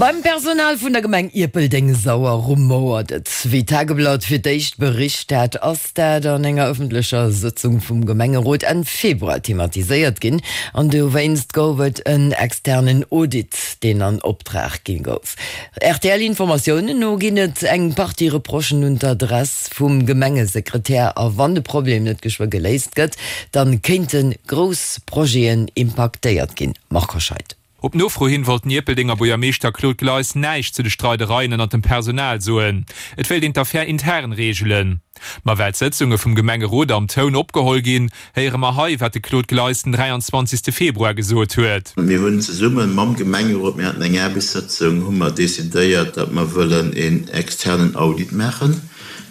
Beim Personal vun der Gemeng Ierpeldeng-Sauer rumouert et. Wéi d'Tageblatt fir d'éischt bericht hat, ass dat an enger ëffentlecher Sëtzung vum Gemengerot Enn Februar thematiséiert ginn an dowéinst gouf et en externen Audit, deen an Optrag gi gouf. RTL-Informatiounen no ginn et eng Partie Reprochen un d'Adress vum Gemengesekretär a wann de Problem net geschwë geléist gëtt, dann kéinte grouss Projeten impaktéiert ginn. Marc Hoscheid. Op Nofro hin wollt den Ierpeldenger Buergermeeschter Claude Gleis näischt zu de Streidereien ënnert dem Personal soen. Et wéilt een d'Affär intern reegelen. Ma well d'Sëtzunge vum Gemengerot am Toun opgeholl ginn, héiere mer hei, wat de Claude Gleis den 23. Februar gesot huet. Mir hunn zesumme mam Gemengerot, mir haten eng Aarbechtssëtzung, hu mer decidéiert, datt mer wëllen een externen Audit maachen,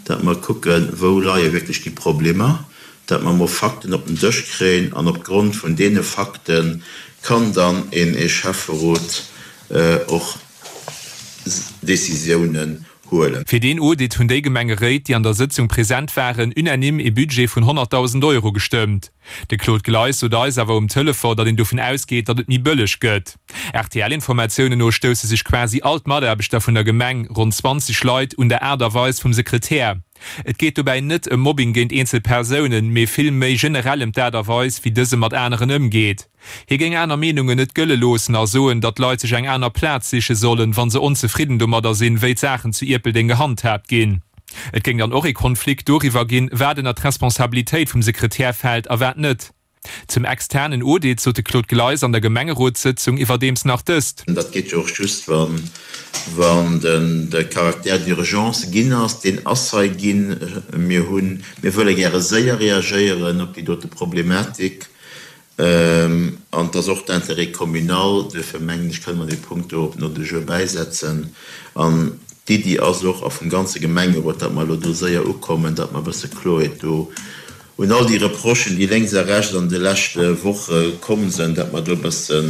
datt mer kucken, wou leie wierklech déi Problemer. dat mer mol Fakten op den Dësch kréien an op Grond vun deene Fakte kann dann een ee Schäfferot och Décisiounen huelen. Fir deen Audit hunn déi Gemengeréit, déi an der Sëtzung present waren, unanime ee Budget vun 100.000 Euro gestëmmt. De Claude Gleis sot eis awer um Telefon, datt een dovun ausgeet, datt et méi bëlleg gëtt. RTL-Informatiounen no stousse sech quasi all d'Mataarbechter vun der Gemeng, ronn 20 Leit, un der Aart a Weis vum Sekretär. Et geet dobäi net ëm Mobbing géint eenzel Persounen, mee vill méi generell ëm d'Aart a Weis, wéi dëse mat aneren ëmgeet. Hie géing aner Meenungen net gëlle loossen a soen, datt d'Leit sech eng aner Plaz siche sollen, wa se onzefridden domadder sinn, wéi d'Saachen zu Ierpeldeng gehandhaabt ginn. Et géing dann och ee Konflikt doriwwer ginn, wat ënner d'Responsabilitéit vum Sekretär fält a wat net. Zum externen Audit sot de Claude Gleis an der Gemengerotssëtzung iwwerdeems nach dëst. Dat geet jo och just, wann de Caractère d'urgence ginn ass. Deen ass hei ginn. Mir hunn, mir wëlle gäre séier reagéieren op déi dote Problematik. An et ass och d'Intérêt communal. Duerfir mengen ech, kënne mer dee Punkt do op den Ordre du jour bäisetzen. An d'Iddi ass och, a vum ganze Gemengerot, datt mer elo do séier ukommen, datt mer e bësse Kloerheet do Un all déi Reprochen, déi lénks a rechts an de leschte Woche komm sënn, dat mer do e bësse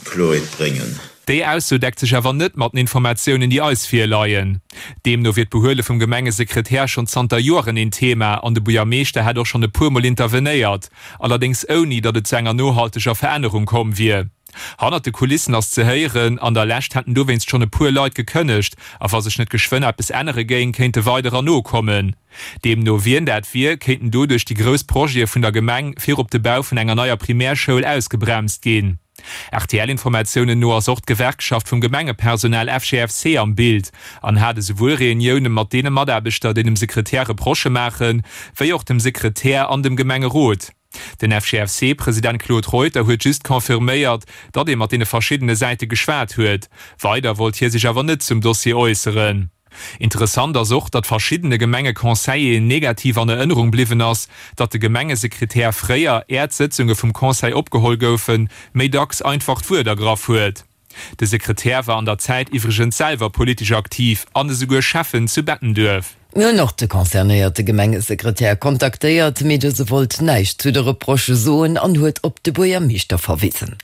Kloerheet bréngen. Déi Ausso deckt sech awer net mat den Informatiounen, déi eis virleien. Deemno wier d'Behuele vum Gemengesekretär schonn zanter Joren een Thema an de Buergermeeschter hätt och schonn e puer Mol intervenéiert, allerdéngs ouni, datt et zu enger nohalteger Verännerung komm wier. Hannert de Kulissen ass ze héieren, an der Lescht hätten dowéinst schonn e puer Leit gekënnegt a wa sech net geschwënn eppes ännere géing, kéinte weiderer nokommen. Deemno wien dat wier, kéinten doduerch déi grouss Projete vun der Gemeng, virop de Bau vun enger neier Primärschoul, ausgebremst ginn. RTL-Informatiounen no ass och d'Gewerkschaft vum Gemengepersonal FGFC am Bild an hat esouwuel Reunioune mat deene Mataarbechter, déi dem Sekretär Reprochë maachen, wéi och dem Sekretär an dem Gemengerot. Den FGFC-President Claude Reuter huet just confirméiert, datt ee mat deene verschiddene Säite geschwat huet. Weider wollt hie sech awer net zum Dossier äusseren. Interessant ass och, datt verschiddene Gemengeconseilleren negativ an Erënnerung bliwwen ass, datt de Gemengesekretär fréier, är d'Sëtzunge vum Conseil opgeholl goufen, méi dacks einfach d'Wuert ergraff huet. De Sekretär war an der Zäit iwwregens selwer politesch aktiv an esouguer Schäffen zu Bettenduerf. Mir hunn och de concernéierte Gemengesekretär kontaktéiert, mee dëse wollt näischt zu de Reprochë soen an huet op de Buergermeeschter verwisen.